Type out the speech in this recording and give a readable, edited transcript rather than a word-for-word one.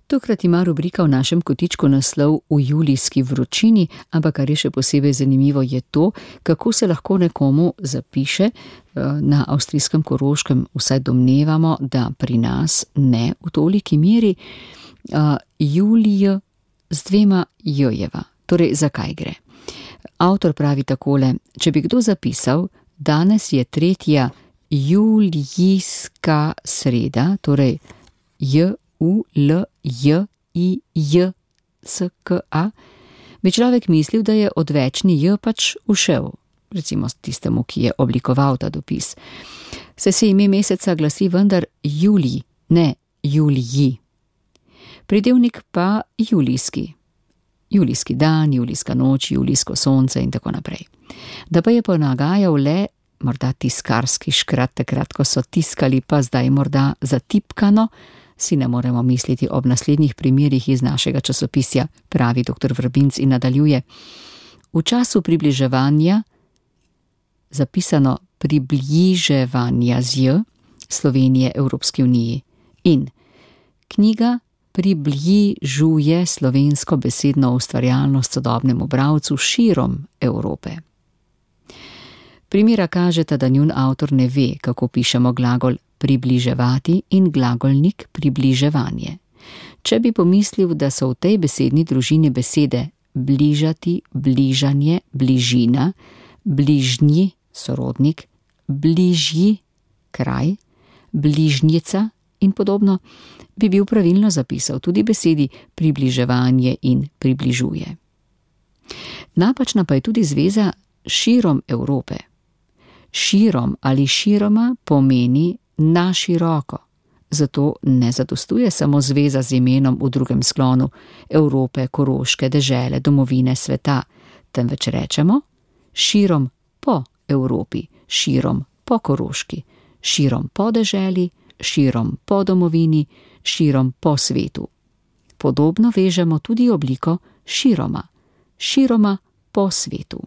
Tokrat ima rubrika v našem kotičku naslov V julijski vročini, ampak kar je še posebej zanimivo je to, kako se lahko nekomu zapiše. Na avstrijskem Koroškem vsaj domnevamo, da pri nas ne v toliki meri, Julij z 2 j-jeva. Torej, zakaj gre? Avtor pravi takole: če bi kdo zapisal, danes je 3. julijska sreda, torej Julijska, bi človek mislil, da je odvečni J pač ušel, recimo tistemu, ki je oblikoval ta dopis. Saj se ime meseca glasi vendar Julij, ne Juliji. Pridevnik pa julijski. Julijski dan, julijska noč, julijsko sonce in tako naprej. Da pa je ponagajal le morda tiskarski škrat, takrat, ko so tiskali, pa zdaj morda zatipkano, si ne moremo misliti ob naslednjih primerih iz našega časopisja, pravi dr. Vrbinc in nadaljuje. V času približevanja, zapisano približevanja z J, Slovenije Evropski uniji, in knjiga približuje slovensko besedno ustvarjalnost sodobnemu bralcu širom Evrope. Primera kažeta, da njun avtor ne ve, kako pišemo glagol približevati in glagolnik približevanje. Če bi pomislil, da so v tej besedni družini besede bližati, bližanje, bližina, bližnji, sorodnik, bližji, kraj, bližnjica in podobno, bi bil pravilno zapisal tudi besedi približevanje in približuje. Napačna pa je tudi zveza širom Evrope. Širom ali široma pomeni na široko, zato ne zadostuje samo zveza z imenom v drugem sklonu Evrope, Koroške, dežele, domovine, sveta, temveč rečemo širom po Evropi, širom po Koroški, širom po deželi, širom po domovini, širom po svetu. Podobno vežemo tudi obliko široma, široma po svetu.